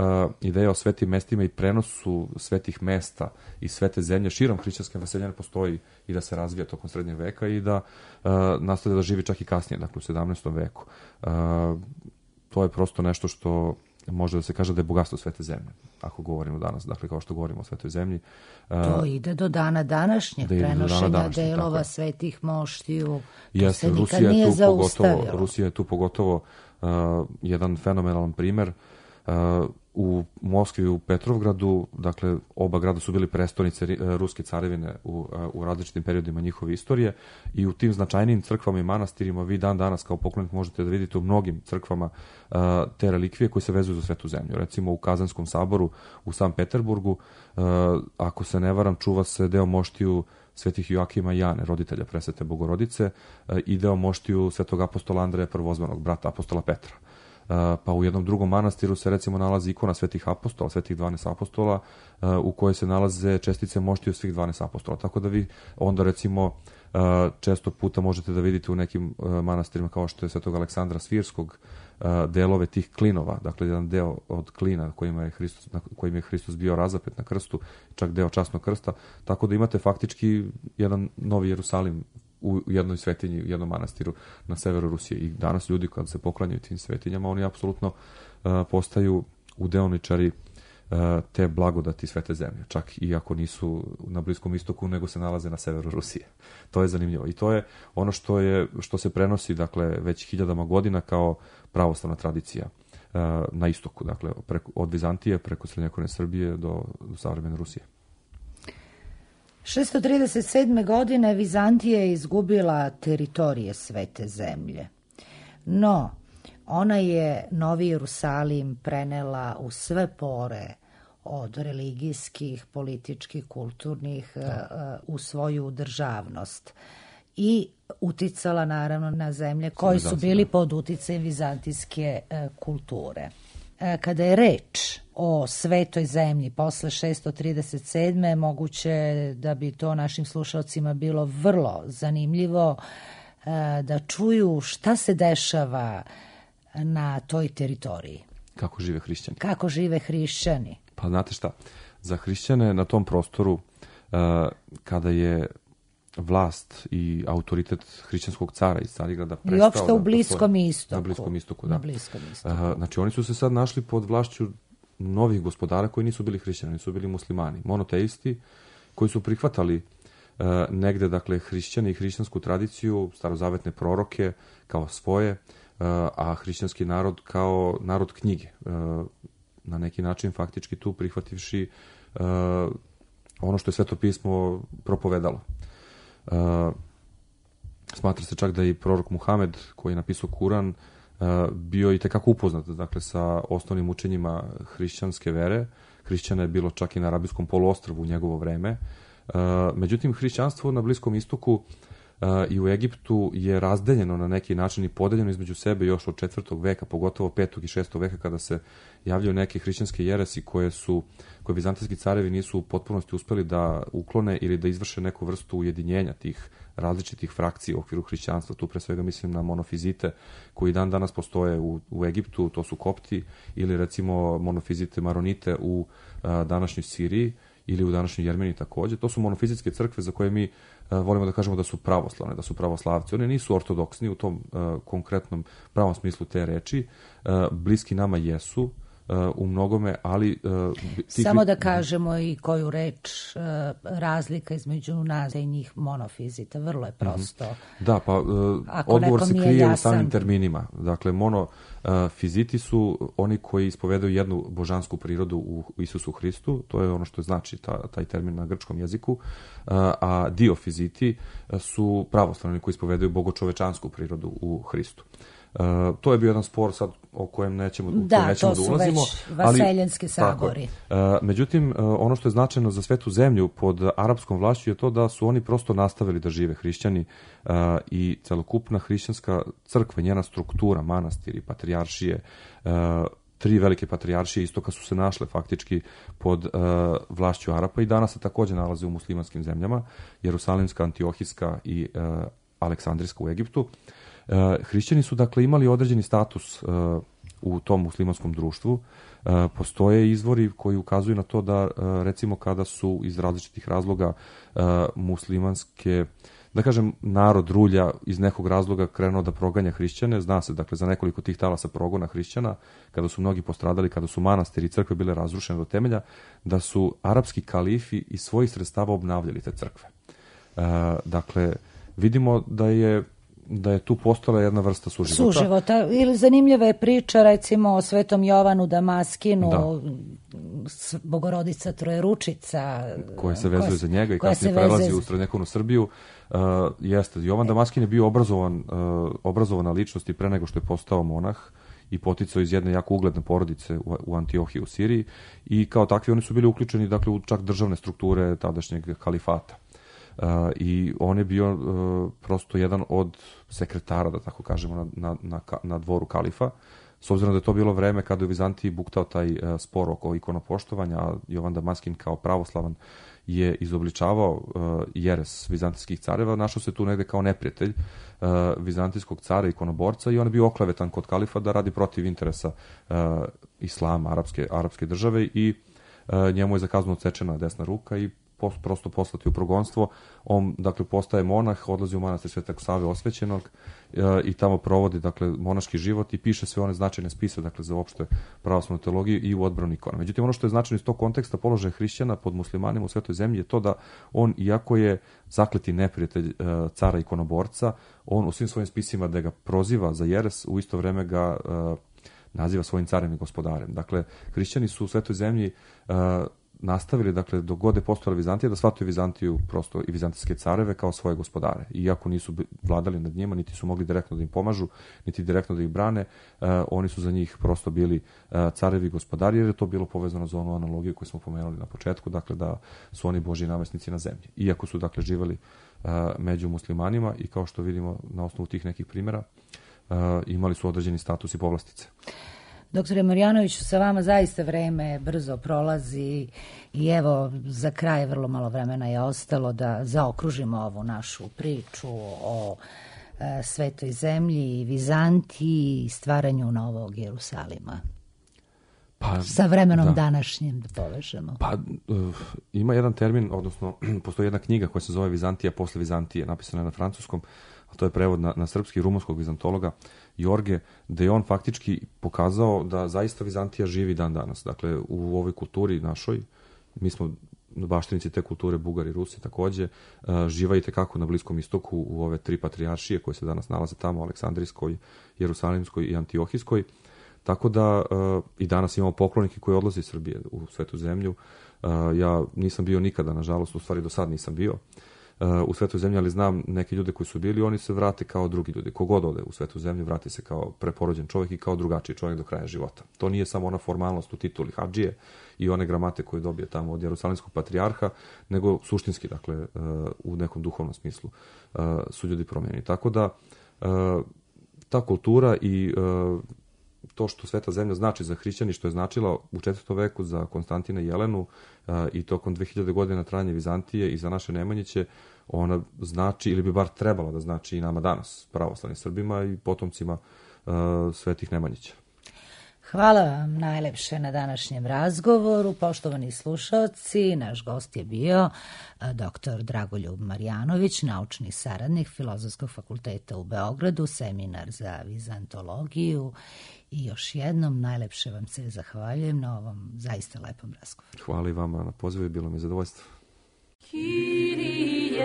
ideja o svetim mestima i prenosu svetih mesta i svete zemlje širom hrišćanske naseljene postoji i da se razvija tokom srednjeg veka i da nastavlja da živi čak i kasnije, dakle u 17. veku. To je prosto nešto što može da se kaže da je bogatstvo svete zemlje, ako govorimo danas, dakle kao što govorimo o svetoj zemlji. To ide do dana današnjeg, prenošenja delova svetih moštiju, to se nikad nije zaustavilo. Rusija je tu pogotovo jedan fenomenalan primer. U Moskvi i u Petrovgradu, dakle oba grada su bili prestonice ruske carevine u različitim periodima njihove istorije i u tim značajnijim crkvama i manastirima vi dan danas kao poklonik možete da vidite u mnogim crkvama te relikvije koje se vezuju za svetu zemlju. Recimo u Kazanskom saboru u Sankt Peterburgu, ako se ne varam, čuva se deo moštiju svetih Joakima i Jane, roditelja presvete Bogorodice, i deo moštiju svetog apostola Andreja Prvozvanog, brata apostola Petra. Pa u jednom drugom manastiru se recimo nalazi ikona svetih apostola, svetih 12 apostola, u kojoj se nalaze čestice moštiju svih 12 apostola. Tako da vi onda recimo često puta možete da vidite u nekim manastirima kao što je svetog Aleksandra Svirskog delove tih klinova, dakle jedan deo od klina kojim je Hristos bio razapet na krstu, čak deo časnog krsta, tako da imate faktički jedan Novi Jerusalim u jednoj svetinji, u jednom manastiru na severu Rusije. I danas ljudi kad se poklanjaju tim svetinjama, oni apsolutno postaju udeoničari te blagodati svete zemlje, čak i ako nisu na Bliskom istoku, nego se nalaze na severu Rusije. To je zanimljivo. I to je ono što se prenosi, dakle, već hiljadama godina kao pravoslavna tradicija na istoku, dakle, od Vizantije preko srednjovekovne Srbije do savremene Rusije. 637. godine Vizantija je izgubila teritorije svete zemlje. No, ona je Novi Jerusalim prenela u sve pore od religijskih, političkih, kulturnih u svoju državnost i uticala naravno na zemlje koji su bili pod uticajem vizantijske kulture. Kada je reč o svetoj zemlji posle 637. moguće da bi to našim slušalcima bilo vrlo zanimljivo da čuju šta se dešava na toj teritoriji. Kako žive hrišćani. Kako žive hrišćani. Pa znate šta, za hrišćane na tom prostoru kada je vlast i autoritet hrišćanskog cara iz Carigrada prestao... I uopšte u Bliskom istoku. Na Bliskom istoku, da. Na Bliskom istoku. Znači oni su se sad našli pod vlašću novih gospodara koji nisu bili hrišćani, nisu bili muslimani, monoteisti koji su prihvatali negde, dakle, hrišćani i hrišćansku tradiciju, starozavetne proroke kao svoje, a hrišćanski narod kao narod knjige. Na neki način faktički tu prihvativši ono što je Sveto pismo propovedalo. Smatra se čak da i prorok Muhamed, koji je napisao Kuran, bio i tekako upoznat, dakle, sa osnovnim učenjima hrišćanske vere. Hrišćana je bilo čak i na Arabijskom poluostrvu u njegovo vreme. Međutim, hrišćanstvo na Bliskom istoku i u Egiptu je razdeljeno na neki način i podeljeno između sebe još od 4. veka, pogotovo 5. i 6. veka, kada se javljaju neke hrišćanske jeresi koje vizantijski carevi nisu u potpunosti uspeli da uklone ili da izvrše neku vrstu ujedinjenja tih različitih frakcija u okviru hrišćanstva. Tu pre svega mislim na monofizite koji dan danas postoje u Egiptu, to su kopti, ili recimo monofizite maronite u današnjoj Siriji ili u današnjoj Jermeniji takođe. To su monofizitske crkve za koje mi volimo da kažemo da su pravoslavne, da su pravoslavci. One nisu ortodoksni u tom konkretnom pravom smislu te reči. Bliski nama jesu u mnogome, ali... Samo da kažemo i koju reč razlika između nas i njih monofizita. Vrlo je prosto. Da, pa odgovor se krije u samim terminima. Dakle, monofiziti su oni koji ispovedaju jednu božansku prirodu u Isusu Hristu. To je ono što znači taj termin na grčkom jeziku. A diofiziti su pravoslavni koji ispovedaju bogočovečansku prirodu u Hristu. To je bio jedan spor sad o kojem nećemo Da, to su ulazimo, već vaseljanski tako je. sabori. Međutim, ono što je značajno za Svetu zemlju pod arapskom vlašću je to da su oni prosto nastavili da žive hrišćani i celokupna hrišćanska crkva, njena struktura, manastiri, patrijaršije, 3 velike patrijaršije istoka su se našle faktički pod vlašću Arapa i danas se takođe nalaze u muslimanskim zemljama, Jerusalimska, Antiohijska i Aleksandrijska u Egiptu. Hrišćani su dakle imali određeni status u tom muslimanskom društvu. Postoje izvori koji ukazuju na to da recimo kada su iz različitih razloga muslimanske, da kažem, narod rulja iz nekog razloga krenuo da proganja hrišćane, zna se dakle za nekoliko tih talasa progona hrišćana, kada su mnogi postradali, kada su manastiri i crkve bile razrušene do temelja, da su arapski kalifi iz svojih sredstava obnavljali te crkve. Dakle, vidimo da je tu postojala jedna vrsta suživota. Ili zanimljiva je priča recimo o Svetom Jovanu Damaskinu, Bogorodica Trojeručica, koja se vezuje za njega i kasnije prelazi u srednjekovnu Srbiju. Jeste, Jovan Damaskin je bio obrazovana ličnost i pre nego što je postao monah i poticao iz jedne jako ugledne porodice u Antiohiji u Siriji i kao takvi oni su bili uključeni dakle u čak državne strukture tadašnjeg kalifata. I on je bio prosto jedan od sekretara, da tako kažemo, na dvoru kalifa, s obzirom da je to bilo vreme kada je u Vizantiji buktao taj spor oko ikonopoštovanja, a Jovan Damaskin kao pravoslavan je izobličavao jeres vizantijskih careva, našao se tu negde kao neprijatelj vizantijskog cara, ikonoborca, i on je bio oklevetan kod kalifa da radi protiv interesa islama, arapske države, i njemu je za kaznu odsečena desna ruka i prosto poslati u progonstvo. On dakle postaje monah, odlazi u manastir Svetog Save Osvećenog i tamo provodi dakle monaški život i piše sve one značajne spise dakle za opšte pravoslavnu teologiju i u odbranu ikona. Međutim, ono što je značajno iz tog konteksta položaja hrišćana pod muslimanima u Svetoj zemlji je to da on, iako je zakleti neprijatelj cara ikonoborca, on u svim svojim spisima da ga proziva za jeres, u isto vreme ga naziva svojim carem i gospodarem. Dakle, hrišćani su u Svetoj zemlji nastavili, dakle, dok god je postojala Vizantija, da shvataju Vizantiju prosto i vizantijske careve kao svoje gospodare. Iako nisu vladali nad njima, niti su mogli direktno da im pomažu, niti direktno da ih brane, oni su za njih prosto bili carevi i gospodari, jer je to bilo povezano za onu analogiju koju smo pomenuli na početku, dakle, da su oni Božji namestnici na zemlji. Iako su, dakle, živeli među muslimanima i kao što vidimo na osnovu tih nekih primjera, imali su određeni status i povlastice. Doktore Marjanoviću, sa vama zaista vreme brzo prolazi i evo za kraj vrlo malo vremena je ostalo da zaokružimo ovu našu priču o Svetoj zemlji, Vizantiji i stvaranju Novog Jerusalima. Sa vremenom današnjim da povežemo. Ima jedan termin, odnosno postoji jedna knjiga koja se zove Vizantija posle Vizantije, napisana je na francuskom, a to je prevod na srpski rumunskog vizantologa Jorge, gde je on faktički pokazao da zaista Vizantija živi dan danas. Dakle, u ovoj kulturi našoj, mi smo baštinici te kulture, Bugari, Rusi takođe, živa i tekako na Bliskom istoku u ove 3 patrijaršije koje se danas nalaze tamo, Aleksandrijskoj, Jerusalimskoj i Antiohijskoj. Tako da i danas imamo poklonike koji odlaze iz Srbije u Svetu zemlju. Ja nisam bio nikada, nažalost, u stvari do sad nisam bio u Svetoj zemlji, ali znam neke ljude koji su bili, oni se vrate kao drugi ljudi. Kogod ode u Svetu zemlju, vrati se kao preporođen čovjek i kao drugačiji čovjek do kraja života. To nije samo ona formalnost u tituli hadžije i one gramate koje dobije tamo od Jerusalimskog patrijarha, nego suštinski, dakle, u nekom duhovnom smislu su ljudi promijenjeni. Tako da ta kultura i to što Sveta zemlja znači za hrišćani, što je značila u 4. veku za Konstantina i Jelenu i tokom 2000 godina trajanja Vizantije i za naše Nemanjiće, ona znači, ili bi bar trebala da znači i nama danas, pravoslavnim Srbima i potomcima svetih Nemanjića. Hvala vam najlepše na današnjem razgovoru. Poštovani slušaoci, naš gost je bio dr. Dragoljub Marjanović, naučni saradnik Filozofskog fakulteta u Beogradu, seminar za vizantologiju. I još jednom najlepše vam se zahvaljujem na ovom zaista lepom razgovoru. Hvala i vama na pozivu, bilo mi je zadovoljstvo. Kyrie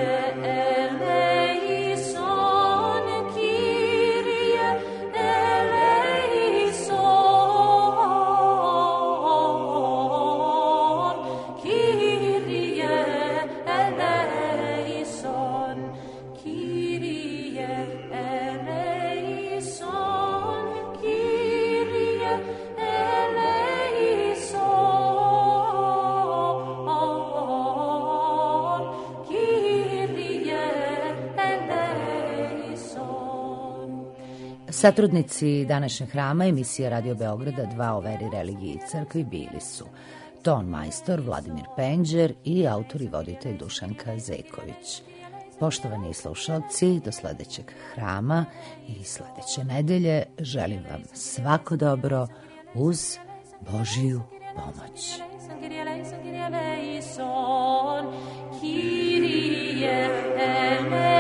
eleison, Kyrie eleison, Kyrie eleison, Kyrie eleison. Satrudnici današnjeg hrama emisije Radio Beograda 2 o veri, religiji i crkvi bili su ton majstor Vladimir Penđer i autor i voditelj Dušanka Zeković. Poštovani slušalci, do sledećeg hrama i sledeće nedelje želim vam svako dobro uz Božiju pomoć. Kyrie eleison, Kyrie eleison.